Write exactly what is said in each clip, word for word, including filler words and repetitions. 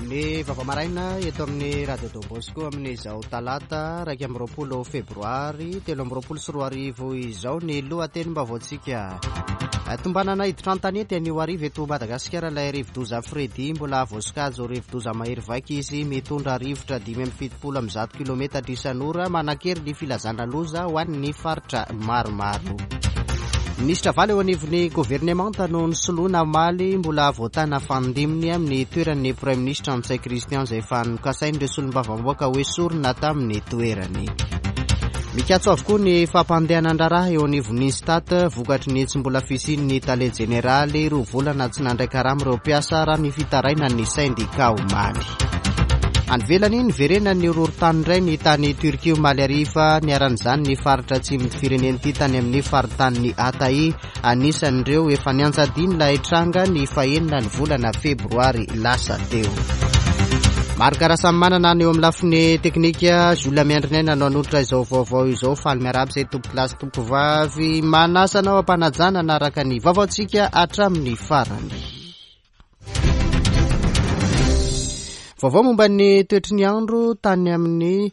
Ny vaovao maraina eto amin'ny Radio Don Bosco amin'izao talata iraika amby roapolo febroary telo amby roapolo sy roa arivo izao ny lohatenim-baovaontsika. Tombanana hiditra an-tanety anio hariva eto Madagasikara ilay rivodoza Freddy, mbola voasokajy ho rivodoza mahery vaika izy, mitondra rivotra dimy amby fitopolo amby zato kilometatra isan'ora, manan-kery ny filazana loza ho an'ny faritra maromaro. Minisitra valo eo anivon'ny governemanta no nisoloina omaly, mbola voatana fanindiminy amin'ny toeran'ny Praiminisitra Ntsay Christian izay efa nokasain'ireo solombavambahoaka ho esorina tamin'ny toerany. Mikatso avokoa ny fampandehanan-draharaha eo anivon'ny Instat vokatry ny tsy mbola fisian'ny tale jeneraly, roa volana tsy nandray karama ireo mpiasa raha ny fitarainan'ny sendika omaly. Any ivelany, niverenan'ny horohorontany indray ny tany Turquie omaly hariva, niharan'izany ny faritra atsimon'ny firenena ity tany amin'ny faritanin'i Hatay, anisan'ireo efa nianjadian'ilay tranga ny fahenina ny volana febroary lasa teo. Marc Rasamimanana any eo amin'ny lafiny teknika, Jules Miandrinaina no hanolotra izao vaovao izao. Faly miarahaba izay tompokolahy sy tompokovavy, manasa anao am-panajana hanaraka ny vaovaontsika hatramin'ny farany. Vaovao momba ny toetry ny andro tany amin'ny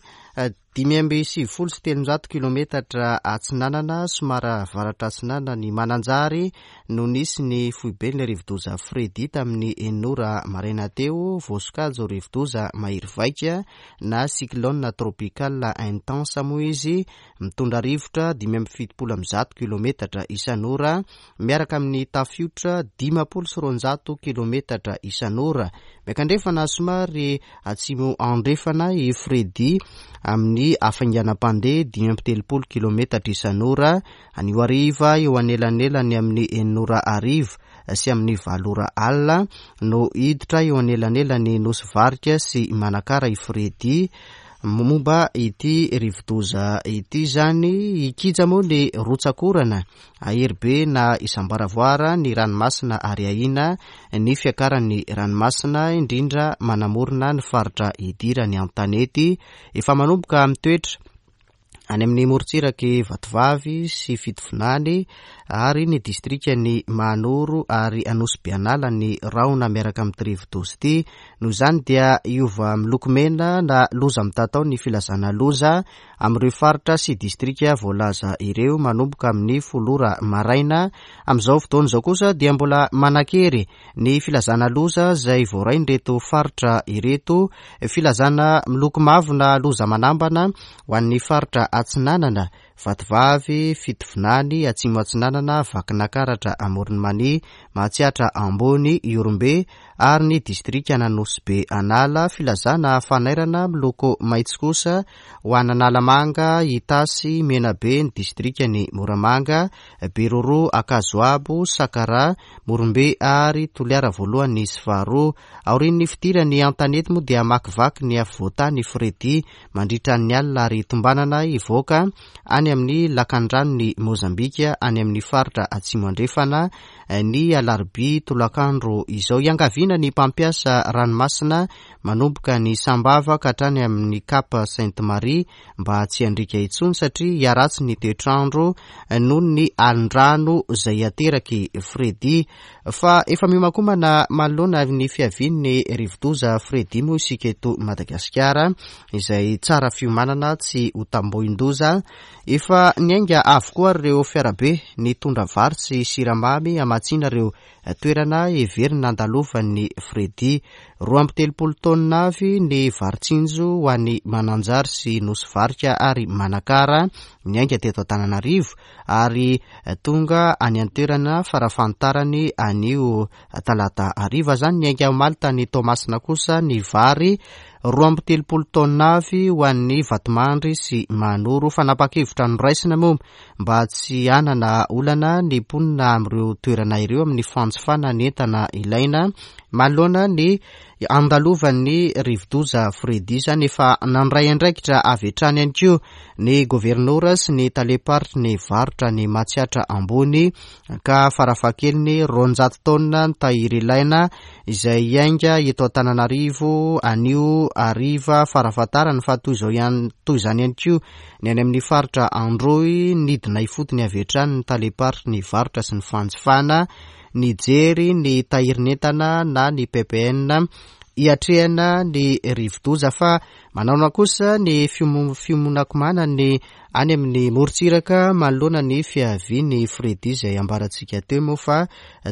dimy amby sivifolo sy telonjato kilometatra atsinanana somary avaratra atsinanana ny Mananjary no nisy ny foiben'ilay rivodoza Freddy tamin'ny enina ora maraina teo. Voasokajy ho rivodoza mahery vaika na cyclone tropical intense moa izy, mitondra rivotra dimy amby fitopolo amby zato kilometatra isan'ora miaraka amin'ny tafiotra dimampolo sy roanjato kilometatra isan'ora. Miakandrefana somary atsimo andrefana i Freddy amin'ny hafainganam-pandeha dimy amby telopolo kilometatra isan'ora. Anio hariva eo anelanelany amin'ny enina ora hariva sy amin'ny valo ora alina no hiditra eo anelanelany Nosy Varika sy Manakara i Freddy. Momba ity rivodoza ity izany, hikija moa ny rotsakorana ahery be na isam-baravoara ny ranomasina ary ahiana ny fiakaran'ny ranomasina, indrindra manamorona ny faritra idirany an-tanety. Efa manomboka mitoetra any amin'ny morontsiraky Vatovavy sy Fitovinany ary ny distrikan'i Mahanoro ary Anosy Be Anala ny rahona miaraka amin'ity rivodoza ity. Noho izany dia hiova miloko mena na loza mitatao ny filazana loza amin'ireo faritra sy distrika voalaza ireo manomboka amin'ny folo ora maraina. Amin'izao fotoana izao kosa dia mbola manan-kery ny filazana loza izay voarain'ireto faritra ireto. Filazana miloko mavo na loza manambana ho an'ny faritra atsinanana, Vatovavy, Fitovinany, Atsimo Atsinanana, Vakinakaratra, Amoron'i Mania, Matsiatra Ambony, Ihorombe ary ny distrikan'Anosy Be Anala. Filazana fanairana miloko maitso kosa ho an'Analamanga, Itasy, Menabe, ny distrikan'i Moramanga, Beroro, Ankazoabo, Sakara, Morombe ary Toliara voalohany sy faharoa. Aorian'ny fidirany an-tanety moa dia hamakivaky ny afovoantany Freddy mandritra ny alina ary tombanana hivoaka any amin'ny lakandranon'i Mozambika any amin'ny faritra atsimo andrefana ny alarobia tolakandro izao. Iangaviana ny mpampiasa ranomasina manomboka ny Sambava ka hatrany amin'ny Cap Sainte Marie mba tsy handriaka intsony satria hiharatsy ny toetrandro noho ny alin-drano izay ateraky Freddy. Fa efa miomankomana manoloana ny fiavian'ny rivodoza Freddy moa isika eto Madagasikara izay tsara fiomanana tsy ho tambohin-doza. Efa niainga avokoa ireo fiarabe nitondra vary sy siramamy hamatsiana ireo toerana heverina nandalovan'ny Freddy. Roa amby telopolo taonina avy ny vary tsinjo ho an'ny Mananjary sy Nosy Varika ary Manakara niainga teto Antananarivo ary tonga any an-toerana farafahatarany anio talata hariva izany. Niainga omaly tany Toamasina kosa ny vary roa amby telopolo taonina avy ho an'ny Vatomandry sy Mahanoro. Fanapa-kevitra noraisina moa mba tsy hanana olana ny mponina amin'ireo toerana ireo amin'ny fanjifana ny entana ilaina manoloana ny andalovan'ny rivodoza Freddy. Izany efa nandray andraikitra avy hatrany ihany koa ny governora sy ny tale-paritry ny varotra ny Matsiatra Ambony ka farafahakeliny roanjato taonina ny tahiry ilaina izay hiainga eto Antananarivo anio hariva farafahatarany. Fa toy izao ihany, toy izany ihany koa ny any amin'ny faritra Androy, nidina ifotony avy hatrany ny tale-paritry ny varotra sy ny fanjifana nijery ny tahirin'entana na ny P P N hiatrehana ny rivodoza. Fa manaona kosa ny fiomonakomanany any amin'ny morontsiraka manoloana ny fiavian'ny Freddy izay ambarantsika teo moa fa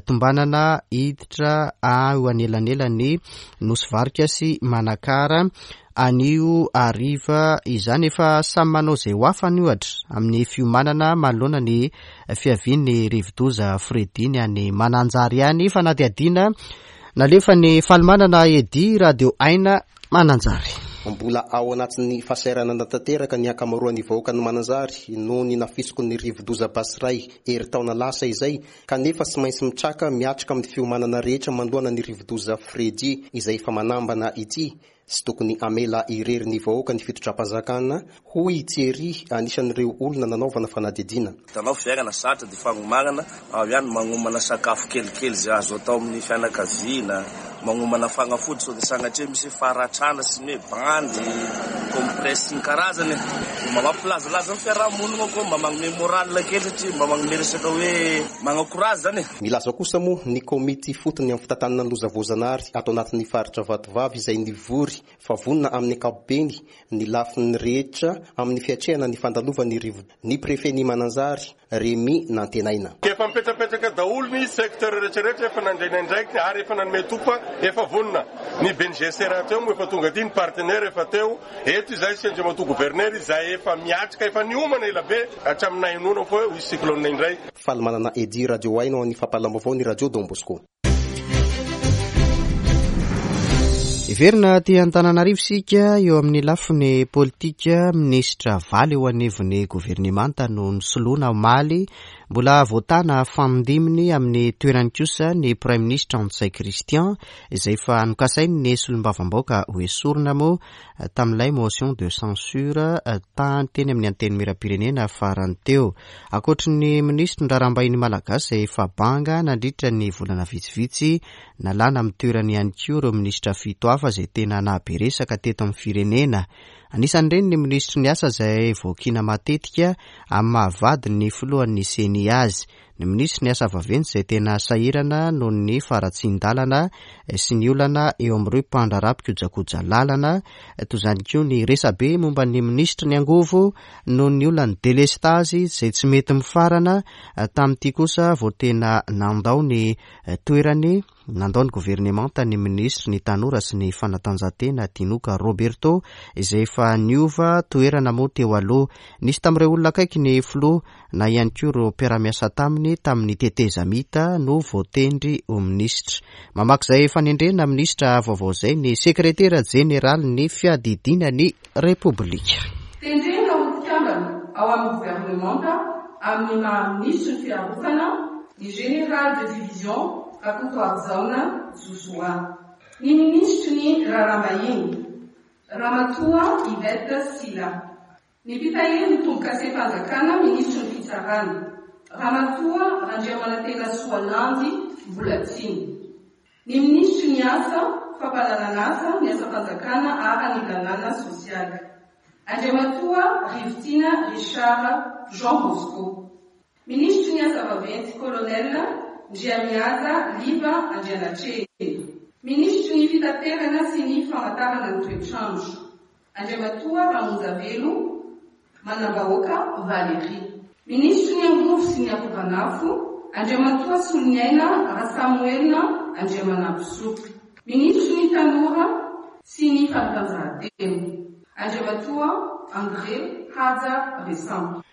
tombanana hiditra ao anelanelan'ny Nosy Varika sy Manakara anio hariva izany. Efa samy manao izay ho afany ohatra amin'ny fiomanana manoloana ny fiavian'ny rivodoza Freddy ny any Mananjary ihany. Fanadihadiana nalefa ny Falimanana Edy, Radio Aina Mananjary. Mbola ao anatin'ny fahasahiranana tanteraka ny ankamaroan'ny vahoakan'i Mananjary noho ny nafisoko ny rivodoza Batsirai herintaona lasa izay, kanefa tsy maintsy mitraka miatrika amin'ny fiomanana rehetra manoloana ny rivodoza Freddy izay efa manambana ity. Tsy tokony hamela irery ny vahoaka ny fitondram-panjakana, hoy Thierry, anisan'ireo olona nanaovana fanadihadiana. Hitanao fiainana sarotra dia fagnomanana ao ihany, magnomana sakafo kelikely izay azo atao amin'ny fianakaviana, magnomana fanafody sao dia sanatria misy faharatrana sy ny hoe bandy, compresse sy ny karazany. Mba mampilazalaza ny fiarahamonina koa, mba magnome moral kely satria mba magnome resaka hoe magnakorazy zany e. Milaza kosa moa ny komity fotony amin'ny fitantanana ny loza voajanahary ato anatin'ny faritra Vatovavy izay nivory fa vonona amin'ny ankapobeny ny lafiny rehetra amin'ny fiatrehana ny fandalovan'ny rivodoza. Ny prefet-n'i Mananjary, Rémi Nantenaina. Efa mipetrapetraka daholo ny secteur rehetrarehetra, efa nandray ny andraikiny ary efa nanome topa, efa vonona. Ny B N G C rahateo moa efa tonga aty, ny partenaire efa teo. Eto izahay sy Andriamatoa gouverneur izay efa miatrika, efa niomana ela be hatramin'ny nahenoana fa hoe ho hisy cyclone indray. Falimanana Edy, Radio Aina, ho an'ny fampahalam-baovao ny Radio Don Bosco. Heverina aty Antananarivo isika eo amin'ny lafiny politika. Minisitra valo eo anivon'ny governemanta no nisoloana omaly. Mbola voatana fanindiminy amin'ny toerany kosa ny Praiminisitra Ntsay Christian izay efa nokasainy ny solombavambahoaka ho esorina moa tamin'ilay motion de censure tany teny amin'ny antenimieram-pirenena farany teo. Ankoatry ny minisitry ny raharaham-bahiny malagasy izay efa banga nandritra ny volana vitsivitsy, nalana amin'ny toerany ihany koa ireo minisitra fito hafa izay tena nahabe resaka teto amin'ny firenena. Anisan'ireny ny minisitry ny asa izay voakiana matetika amin'ny mahavady ny filohan'ny C N I azy, ny minisitry ny asa vaventy izay tena sahirana noho ny faharatsian-dalana sy ny olana eo amin'ireo mpandraharaha mpikojakoja lalana, toy izany koa ny resabe momba ny minisitry ny angovo noho ny olan'ny delestazy izay tsy mety mifarana. Tamin'ity kosa vao tena nandao ny toerany, nandao ny governemanta ny minisitry ny tanora sy ny fanatanjahantena Tinoka Roberto izay efa niova toerana moa teo aloha. Nisy tamin'ireo olona akaiky ny filoha na ihany koa ireo mpiara-miasa taminy tamin'ny tetezamita no voatendry ho minisitra. Mamaky izay fanendrena minisitra vaovao izay ny sekretera jeneralin'ny fiadidiana ny Repoblika. Tendrena ho mpikambana ao amin'ny governemanta amin'ny maha minisitry ny fiarovana ny général de division Rakotoarijaona Josoa, ny minisitry ny raharaham-bahiny Ramatoa Yvette Sylla, ny mpitahiry ny tombo-kasem-panjakana minisitry ny fitsarana Ramatoa Randriamanantena Soalandy Mbolatsiny, ny minisitry ny asa fampahalalana ny asam-panjakana ary ny lalàna sosialy Andriamatoa Rivotiana Richard Jean Bosco, minisitry ny asa vaventy colonel Ndriamihaja Liva Andrianatrehina, minisitry ny fitaterana sy ny famantarana ny toetrandro Andriamatoa Ramonjavelo Manambahoaka Valérie, minisitry ny angovo sy ny akoranafo Andriamatoa Soloniaina Rasamoelina Andriamanampisoa, minisitry ny tanora sy ny fanatanjahantena Andriamatoa André Haja Resambo.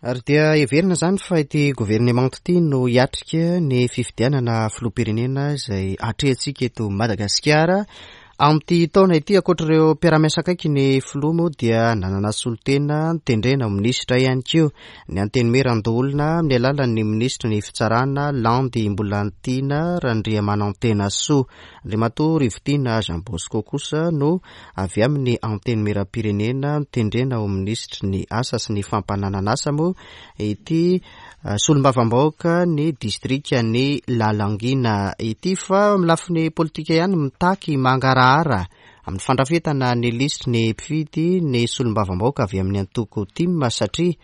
Ary dia heverina izany fa ity governemanta ity no hiatrika ny fifidianana filoham-pirenena izay atrehantsika eto Madagasikara. Amin'ity taona ity, ankoatr'ireo mpiara-miasa akaiky ny filoha moa dia nanana solontena notendrena ho minisitra ihany koa ny antenimierandoholona amin'ny alalan'ny minisitry ny fitsarana Landy Mbolantiana Randriamanantenasoa. Andriamatoa Rivotiana Jean Bosco kosa no avy amin'ny antenimieram-pirenena notendrena ho minisitry ny asa sy ny fampananana asa moa ity solombavambahoaka ny distrikan'i Lalangina ity. Fa amin'ny lafiny politika ihany mitaky mangarahara amin'ny fandrafetana ny lisitry ny mpifidy ny solombavambahoaka avy amin'ny antoko T I M satria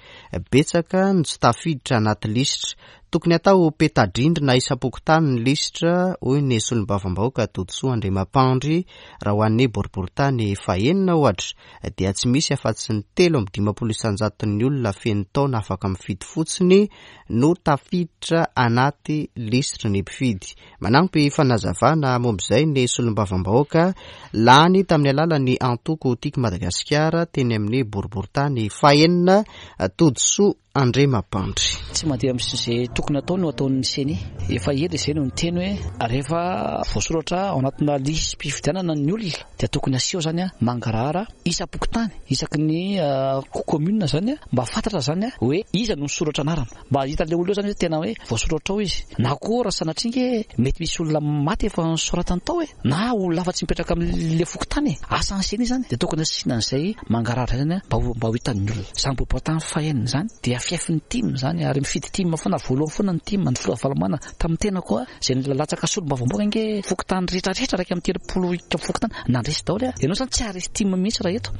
betsaka ny tsy tafiditra anaty lisitra. Tokony atao peta-drindrina isam-pokontany ny lisitra, hoy ny solombavambahoaka Todisoa Andriamampandry. Raha ho an'ny boriborintany fahenina ohatra dia tsy misy afa-tsy ny telo amby dimampolo isan-jaton'ny olona feno taona afaka mifidy fotsiny no tafiditra anaty lisitry ny mpifidy. Manampy fanazavana momba izay ny solombavambahoaka lany tamin'ny alalan'ny antoko Tiako Madagasikara teny amin'ny boriborintany fahenina, Todisoa Andriamampandry. Tsy mandeha amin'izay tokony atao no ataon'ny CENI. Efa ela izay no niteny hoe rehefa voasoratra ao anatina lisi-pifidianana ny olona dia tokony aseho zany mangarahara isam-pokontany, isaky ny commune zany, mba fantatra zany hoe iza no nisoratra anarana, mba hita le olona eo zany hoe tena hoe voasoratra ao izy. Na koa raha sanatria nge mety misy olona maty efa nosoratany tao e, na olona hafa tsy mipetraka amin'le fokontany e, asan'ny CENI zany dia tokony asiana an'izay mangarahara zany mba ho mba ho hitan'ny olona. Izany boriborintany fahenina zany dia fiafin'ny TIM zany, ary mifidy TIM foana, voalohany foana ny TIM, ny filoha Ravalomanana tamin'ny tena koa izay nilatsaka solombavambahoaka nge fokontany rehetrarehetra iraika amby telopolo fokontany nandresy daholo a. Ianao zany tsy haharesy TIM mihitsy raha eto.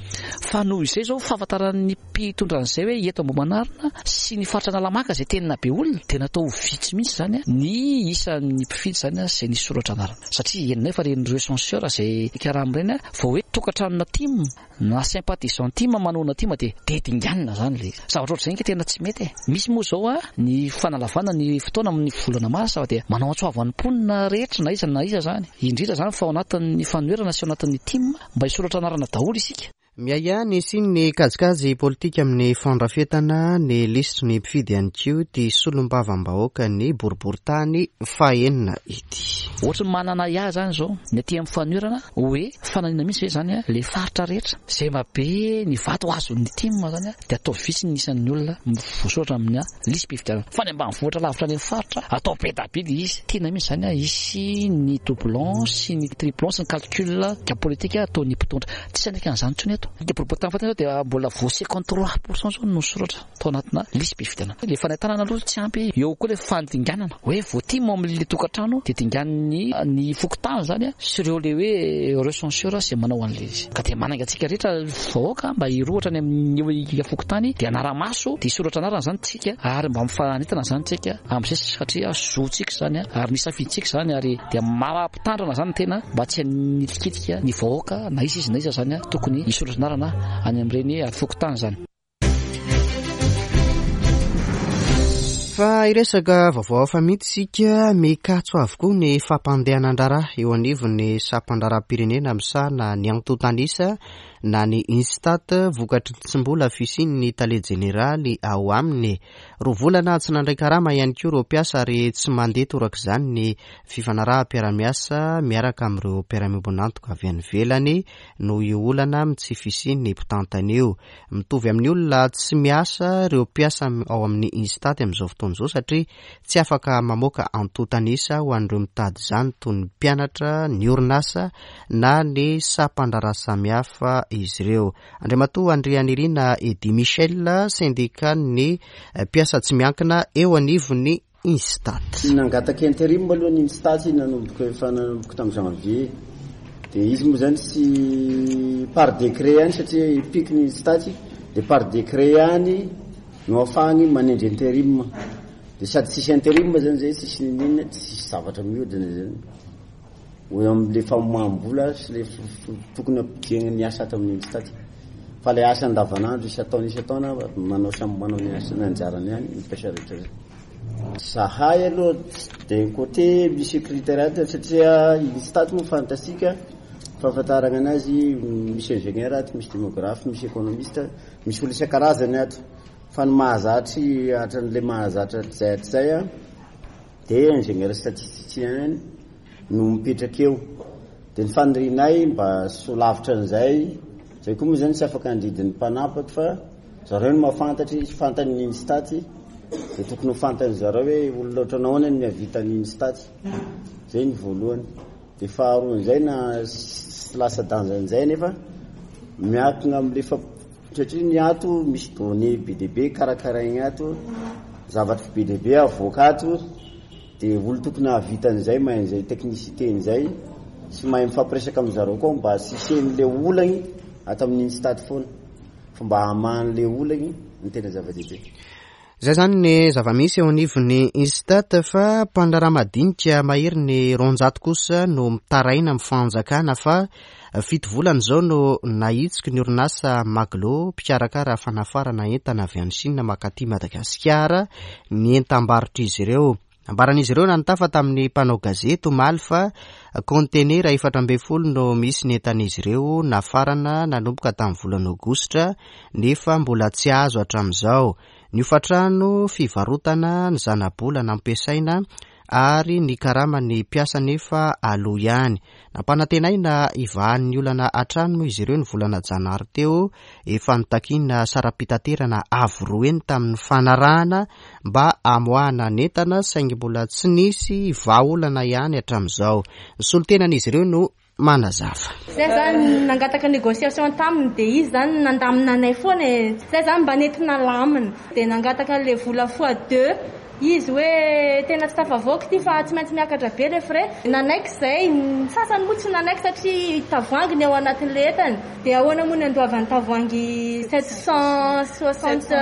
Fa noho izay zao fahafantaran'ny mpitondra an'izay hoe eto Ambohimanarina sy ny faritra Analamanga izay tena be olona dia natao ho vitsy mihitsy zany ny isan'ny mpifidy zany izay nisoratra anarana, satria henonay fa ireny recenseur izay karama ireny vao hoe tokantranona TIM na sympathisant TIM manohana TIM dia dia dinganina zany le izy. Zavatra ohatr'izay nge tena tsy mety e. Misy moa zao a ny fanalavana ny fotoana amin'ny volana marsa dia manao antso avo an'ny mponina rehetra na iza na iza zany, indrindra zany fa ao anatin'ny fanoherana sy ao anatin'ny TIM mba hisoratra anarana daholo isika. Miahiahy ny hisian'ny kajikajy politika amin'ny fandrafetana ny lisitry ny mpifidy ihany koa ity solombavambahoaka ny boriborintany fahenina ity. Ohatry ny manana ahiahy zany zao ny aty amin'ny fanoherana hoe fananina mihitsy ve zany le faritra rehetra izay mba be ny vato azon'ny TIM zany dia atao vitsy ny isan'ny olona voasoratra amin'ny lisi-pifidianana, fa ny ambanivohitra lavitra any amin'ny faritra atao be dia be ilay izy. Tena mihitsy zany hisy ny doublon sy ny triplon sy ny calcul politika ataon'ny mpitondra. Tsy hanaiky an'izany intsony eto. Ny boriborintany fahatelo dia mbola vao cinquante-trois pour cent zao no soratra tao anatina lisi-pifidianana. Le fanentanana aloha tsy ampy, eo koa le fandinganana hoe vao TIM amin'le tokantrano dia dingan'ny ny fokontany zany sy ireo le hoe recenseur izay manao an'ilay izy. Ka dia manainga antsika rehetra vahoaka mba hirohotra any amin'ny fokontany dia hanara-maso dia hisoratra anarana zany tsika, ary mba mifanentana zany tsika amin'izay, satria zontsika zany ary ny safidintsika zany, ary dia mampitandrina zany tena mba tsy hanitikitika ny vahoaka na iza izy na iza zany tokony hisoratra anarana any amin'ireny fokontany zany. Fa hiresaka vaovao hafa mihitsy isika. Mikatso avokoa ny fampandehanan-draharaha eo anivon'ny sampan-draharaham-pirenena misahana ny antontanisa na ny INSTAT vokatry ny tsy mbola fisian'ny tale jeneraly ao aminy. Roa volana tsy nandray karama ihany koa ireo mpiasa ary tsy mandeha torak'izany ny fifanaraham-piarahamiasa miaraka amin'ireo mpiara-miombon'antoka avy any ivelany noho io olana amin'ny tsy fisian'ny mpitantana io. Mitovy amin'ny olona tsy miasa ireo mpiasa ao amin'ny INSTAT amin'izao fotoana izao satria tsy afaka mamoaka antontanisa ho an'ireo mitady izany toy ny mpianatra, ny orinasa na ny sampan-draharaha samihafa izy ireo. Andriamatoa Andrianirina Eddy Michel, sendikan'ny mpiasa tsy miankina eo anivon'ny INSTAT. Nangataka interim aloha ny INSTAT nanomboka efa nanomboka tamin'ny janvier. Dia izy moa zany tsy par décret ihany satria ipiky ny INSTAT dia par décret ihany no ahafahany manendry interim. Dia sady tsisy interim zany zay, tsisy ninona, tsisy zavatra mihodina zany. Hoe amin'le famoaham-bola sy le tokony hampidirana ny asa ato amin'ny INSTAT. Fa le asa andavanandro isan-taona isan-taona manao samy manao ny asa ny anjarany ihany ny mpiasa rehetra zany. Zahay aloha d'un côté misy critère ato satria INSTAT moa fantasika fahafantarana anazy, misy ingénieur ato, misy démographe, misy économiste, misy olo isan-karazany ato. Fa ny mahazatry hatran'le mahazatra hatrizay hatrizay a dia ingénieur statisticien no mipetraka eo. Dia ny fanirianay mba so lavitra an'izay, zay koa moa zany tsy afaka handidin'ny mpanapaky fa zareo no mahafantatry, fantany ny INSTAT, dia tokony ho fantany zareo hoe olona ohatran'ny ahoana no mihavita ny INSTAT. Zay ny voalohany. Dia faharoan'izay na sy lasa danjan'izay nefa miankina amin'le fa satria ny ato misy données be dia be karakaraigny ato, zavatra be dia be avoaka ato, dia olo tokony hahavita an'izay, mahay an'izay technicité an'izay, sy mahay mifampiresaka amin'ny zareo koa mba tsy hisian'le olagny ato amin'ny INSTAT foana, fa mba hamahan'le olagny ny tena zava-dehibe. Izay izany ny zava-misy eo anivon'ny INSTAT, fa mpandraharaha madinika mahery ny roanjato kosa no mitaraina amin'ny fanjakana fa fito volana izao no nahitsiky ny orinasa Maglo mpikarakara fanafarana entana avy any Chine makaty Madagasikara ny entam-barotr'izy ireo. Nambaran'izy ireo nanotafa tamin'ny mpanao gazety omaly fa kaontenera efatra ambin'ny folo no misy ny entan'izy ireo nafarana nanomboka tamin'ny volana aogositra nefa mbola tsy azo hatramin'izao. Ny hofantrano, fivarotana, ny zanabola nampiasaina ary ny karaman'ny mpiasa nefa aloha ihany. Nampanantenaina hivahan'ny olana hatrany moa izy ireo ny volana janary teo, efa nitakiana saram-pitaterana avo roa heny tamin'ny fanarahana mba hamoahana ny entana, saingy mbola tsy nisy vahaolana ihany hatramin'izao. Ny solontenan'izy ireo no manazava. Zay zany nangataka négociation taminy dia izy zany nandamina anay foana e. Zay zany mba nentina lamina dia nangataka le vola fois deux izy hoe tena tsy tafavoaka ity fa tsy maintsy miakatra be le frais. Nanaiky zay, ny sasany moa tsy nanaiky satria tavoahangy ny ao anatin'le entana. Dia ahoana moa ny andoavan'ny tavoahangy sept cent soixante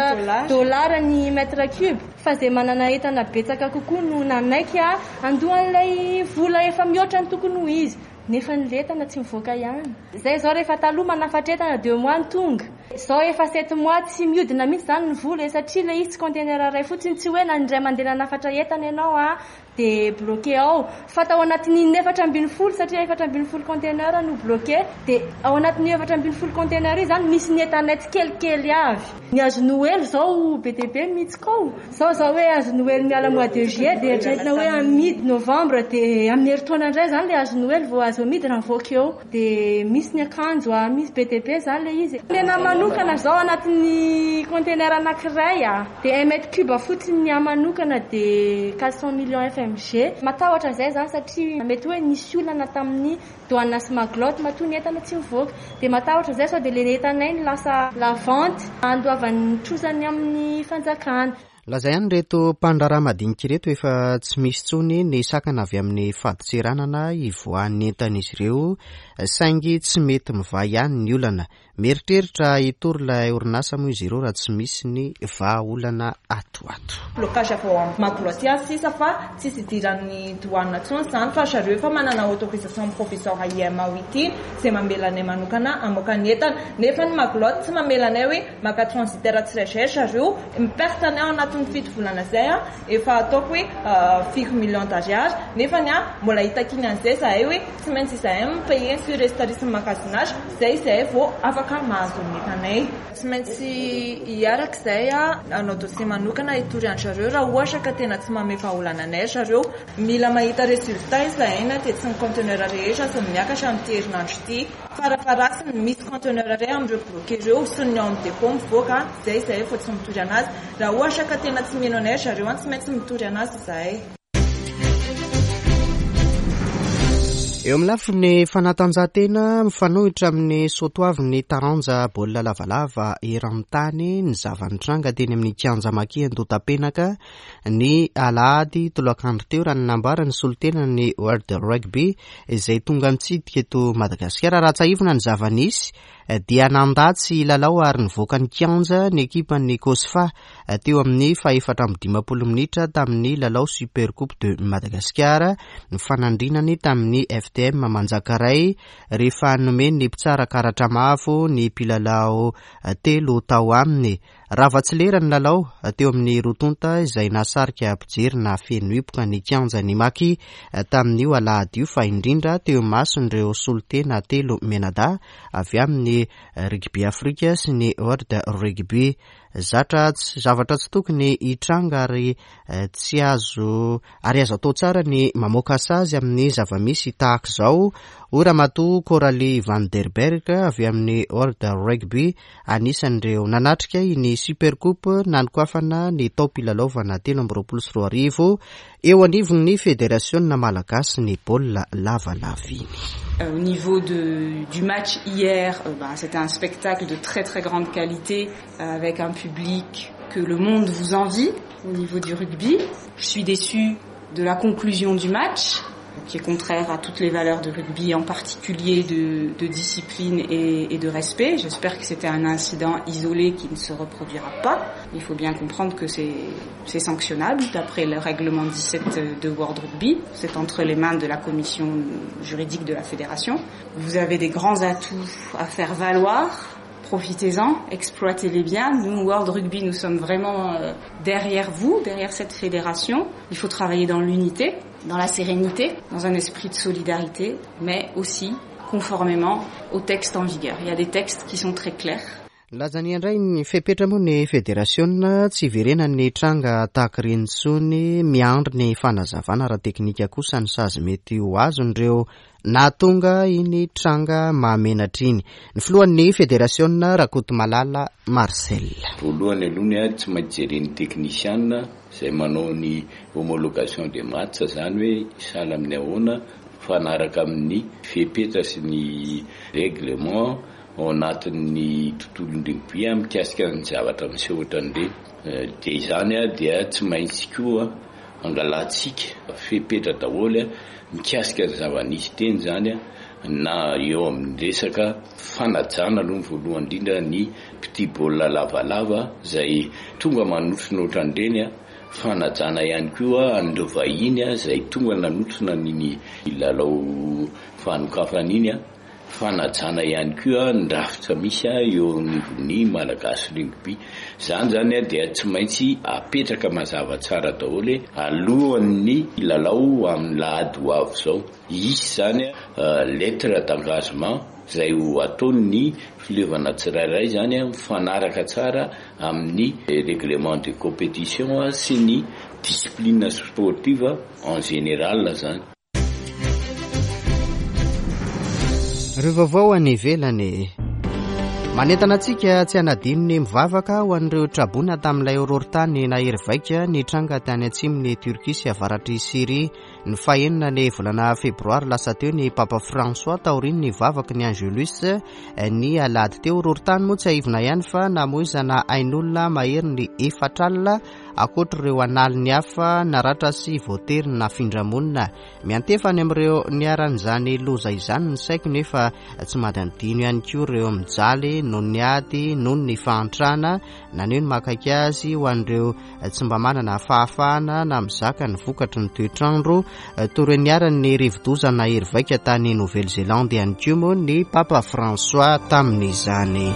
dollars ny mètre cube, fa zay manana entana betsaka kokoa no nanaiky andohan'ilay vola efa mihoatra ny tokony ho izy. Nefa ny entana tsy mivoaka ihany. Zay zao rehefa taloha manafatra entana deux mois ny tonga. Zao efa sept mois tsy miodina mihitsy zany ny vola e, satria le izy tsy conteneur iray fotsiny, tsy hoe na indray mandeha nanafatra entana ianao a dia bloqué ao. Fa tao anatin'ny efatra ambin'ny folo, satria efatra ambin'ny folo conteneur no bloqué, dia ao anatin'ny efatra ambin'ny folo conteneur io zany misy ny entanay tsikelikely avy. Ny hazo Noely zao be dia be mihitsy koa. Zao zao hoe hazo Noely miala mois de juillet dia eritreretina hoe amidy novembre, dia amin'ny herintaona indray zany le hazo Noely vao azo amidy raha mivoaka eo. Dia misy ny akanjo a, misy be dia be zany le izy. Ny anahy manokana zao anatin'ny conteneur anankiray a, dia un mètre cube fotsiny ny ahy manokana dia quatre cents millions F M G. Matahotra zay zany satria mety hoe nisy olana tamin'ny douane sy Maglotte matoa ny entana tsy mivoaka. Dia matahotra zay sao dia le entanay no lasa la vente andoavan'ny trosany amin'ny fanjakana. Laza ihany ireto mpandraharaha madinika ireto efa tsy misy intsony ny sakana avy amin'ny fadintseranana hivoahan'ny entan'izy ireo, saingy tsy mety mivaha ihany ny olana. Mieritreritra hitory ilay orinasa moa izy ireo raha tsy misy ny vahaolana ato ato. Blocage avy ao amin'ny Maglotte ihany sisa fa tsisy idiran'ny douane intsony izany, fa zareo efa manana autorisation provisoire I M A O ity izay mamela anay manokana hamoaka ny entana. Nefa ny Maglotte tsy mamela anay hoe maka transitaire tsirairay zareo, miperte anay ao anatin'ny fito volana izay a, efa ataoko hoe, euh, firy millions d'ariary, nefa ny a, mbola hitakiana an'izay zahay hoe tsy maintsy izahay mipayer ny surestarisme magasinage, izay izahay vao afaka mahazo ny entanay. Tsy maintsy hiaraka izay a, hanao dossier manokana hitory an-dry zareo raha ohatra ka tena tsy mamehy vahaolana anay ry zareo. Mila mahita résultat izahay na dia tsy ny conteneur rehetra aza no miakatra amin'ity herinandro ity. Farafaharasiny misy conteneur iray amin'ireo bloqué ireo sy ny ao amin'ny dépôt mivoaka, izay izahay vao tsy mitory anazy. Raha ohatra ka tena tsy mino anay ry zareo, tsy maintsy mitory anazy izahay. Eo amin'ny lafiny fanatanjahantena, mifanohitra amin'ny soatoavin'ny taranja baolina lavalava eran-tany ny zava-nitranga teny amin'ny kianja Maki Andohatapenaka ny alahady tolakandro teo, raha ny nambaran'ny solontenan'ny World Rugby izay tonga nitsidika eto Madagasikara. Raha tsiahivina ny zava-nisy dia nandà tsy lalao ary nivoaka ny kianja ny ekipan'ny Cosfa teo amin'ny fahefatra amby dimampolo minitra tamin'ny lalao Super Coupe de Madagascar ny fanandrinany tamin'ny F T M Manjakaray rehefa nomen'ny mpitsara karatra mavo ny mpilalao telo tao aminy. Rava tsy lera ny lalao teo amin'ny roa tonta izay nahasarika mpijery nahafeno hipoka ny kianja ny Maki tamin'io alahady io, fa indrindra teo imason'ireo solontena telo mianadahy avy amin'ny Rugby Afrika sy ny World Rugby. Zatra tsy, zavatra tsy tokony hitranga ary, eh, tsy azo, ary azo atao tsara ny mamoaka sazy amin'ny zava-misy tahaka izao, hoy Ramatoa Coralie van der Berg avy amin'ny World Rugby, anisan'ireo nanatrika iny Super Coupe nanokafana ny taom-pilalaovana telo amby roapolo sy roa arivo eo anivon'ny Federasiona Malagasy ny baolina lavalava iny. Euh, au niveau de, du match hier, euh, bah, c'était un spectacle de très très grande qualité, euh, avec un public que le monde vous envie au niveau du rugby. Je suis déçue de la conclusion du match qui est contraire à toutes les valeurs de rugby, en particulier de, de discipline et, et de respect. J'espère que c'était un incident isolé qui ne se reproduira pas. Il faut bien comprendre que c'est, c'est sanctionnable d'après le règlement dix-sept de World Rugby. C'est entre les mains de la commission juridique de la fédération. Vous avez des grands atouts à faire valoir. Profitez-en, exploitez-les bien. Nous, World Rugby, nous sommes vraiment derrière vous, derrière cette fédération. Il faut travailler dans l'unité, dans la sérénité, dans un esprit de solidarité, mais aussi conformément aux textes en vigueur. Il y a des textes qui sont très clairs. Lazany indray ny fepetra moa ny federasiona tsy hiverenan'ny tranga tahaka ireny intsony. Miandry ny fanazavana ara-teknika kosa ny sazy mety ho azon'ireo nahatonga iny tranga mahamenatra iny. Ny filohan'ny federasiona Rakotomalala Marcel. Voalohany aloha ny a tsy maintsy jeren'ny teknisiana izay manao ny homologation des matchs, zany hoe sahala amin'ny ahoana mifanaraka amin'ny fepetra sy ny règlement ao anatin'ny tontolon'ny rugby mikasika ny zavatra miseho ohatran'ireny. Dia izany a dia tsy maintsy koa angalantsika fepetra daholo mikasika ny zava-nisy teny zany a, na eo amin'ny resaka fanajana aloha ny voalohany indrindra ny petit baolina lavalava izay tonga manotrona ohatran'ireny a, fanajana ihany koa an'ireo vahiny a izay tonga nanotrona ny lalao fanokafana iny a, fanajana ihany koa ny rafitra misy a eo anivon'ny Malagasy rugby. Zany zany a dia tsy maintsy apetraka mazava tsara daholo alohan'ny lalao amin'ny lahady ho avy izao. Hisy zany a lettre d'engagement izay ho ataon'ny fileovana tsirairay zany a mifanaraka tsara amin'ny règlement de compétition sy ny discipline sportive en général zany. Ireo vaovao any ivelany. Manentana antsika tsy hanadino ny mivavaka ho an'ireo traboina tamin'ilay horohorontany nahery vaika nitranga tany atsimon'i Turquie sy avaratr'i Syrie. Ny fahenina ny volana febroary lasa teo ny Papa François taorian'ny vavaky ny Angelus ny alahady teo. Horohorontany moa tsy aivina ihany fa namoizana ain'olona mahery ny efatra alina ankoatr'ireo analiny hafa naratra sy voatery nafindra-monina. Miantefa any amin'ireo niharan'izany loza izany ny saiko, nefa tsy manadino ihany koa ireo mijaly noho ny ady, noho ny fahantrana. Naneho ny mahakaiky azy ho an'ireo tsy mba manana fahafahana na mizaka ny vokatry ny toetrandro. Toy ireo niharan'ny rivodoza nahery vaika tany Nouvelle-Zélande ihany koa moa ny Papa François tamin'izany.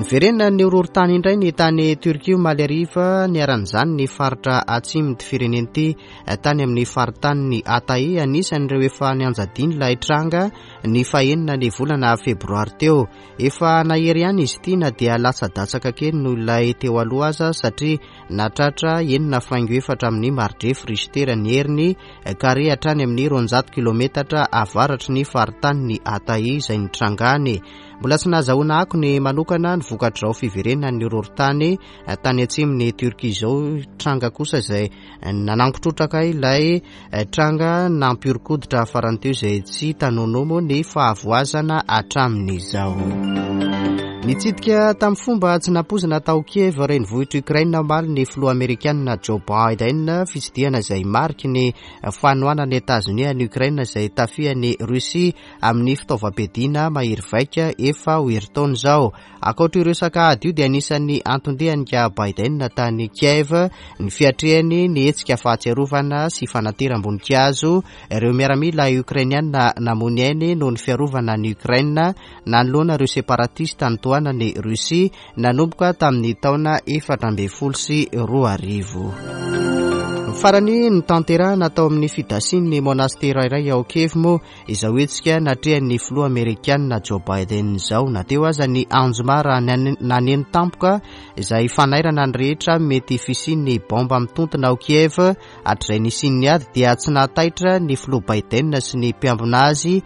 Niverena ny horohorontany indray ny tany Turquie omaly hariva. Niharan'izany ny faritra atsimon'ity firenena ity tany amin'ny faritanin'ny Hatay, anisan'ireo efa nianjadiany ilay tranga ny fahenina ny volana febroary teo. Efa nahery ihany izy ity na dia latsa-datsaka kely noho ilay teo aloha aza, satria natratra enina faingo efatra amin'ny maridrefy Richter ny heriny kare hatrany amin'ny roanjato kilometatra avaratry ny faritanin'ny Hatay izay nitrangany. Mbola tsy nahazahoana akony manokana ny vokatr'izao fiverenan'ny horohorontany tany atsimon'i Turquie izao. Tranga kosa izay nanangotrotraka ilay tranga nampihoron-koditra farany teo izay tsy hita nonono ny fahavoazana hatramin'izao. Nitsidika tamin'ny fomba tsy nampoizina tao Kiev renivohitr'i Ukraine omaly ny filoha amerikanina Joe Biden. Fitsidihana izay mariky ny fanohanan'i Etazonia an'i Ukraine izay tafihan'i Russie amin'ny fitaovam-piadiana mahery vaika efa ho herintaona izao. Ankoatra ireo resaka ady io dia anisan'ny anton-dian'i Biden tany Kiev ny fiatrehany ny hetsika fahatsiarovana sy fanateram-boninkazo ireo miaramila ukrainiana namoy ainy noho ny fiarovana an'i Ukraine nanoloana ireo separatista nitohanan'i Russie nanomboka tamin'ny taona efatra ambin'ny folo sy roa arivo. Farany notanterahana tao amin'ny fidasian'ny monastera iray ao Kiev moa izao hetsika natrehan'ny filoha amerikanina Joe Biden izao. Na teo aza ny anjomara naneno tampoka izay fanairana ny rehetra mety fisian'ny bomba mitontona ao Kiev hatrizay nisian'ny ady, dia tsy nahataitra ny filoha Biden sy ny mpiambina azy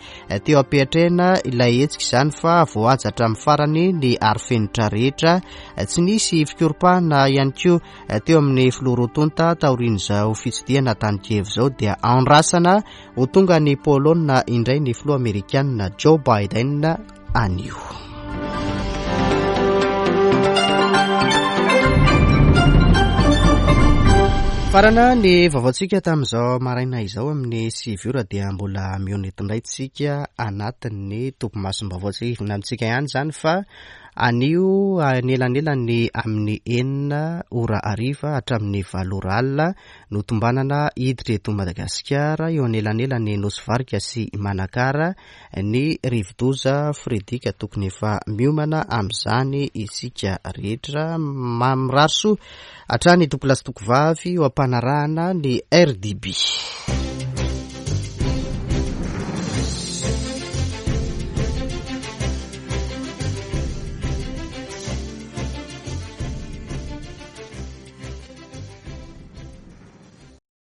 teo am-piatrehana ilay hetsika izany fa voahaja hatramin'ny farany ny arofenitra rehetra. Tsy nisy fikoropahana ihany koa teo amin'ny filoha roa tonta taorian'izao fitsidihana tany Kiev izao. Dia andrasana ho tonga ny Polonina indray ny filoha amerikanina Joe Biden anio. Farana ny vaovaontsika tamin'izao maraina izao. Amin'ny sivy ora dia mbola mihaona eto indray tsika anatin'ny topimasom-baovao. Tsy ivona amintsika ihany izany fa anio anelanelany amin'ny enina ora hariva hatramin'ny valo ora alina no tombanana hiditra eto Madagasikara eo anelanelany Nosy Varika sy Manakara ny rivodoza Freddy, ka tokony efa miomana amin'izany isika rehetra. Mamirary soa hatrany tompolahy sy tompovavy eo am-panarahana ny R D B.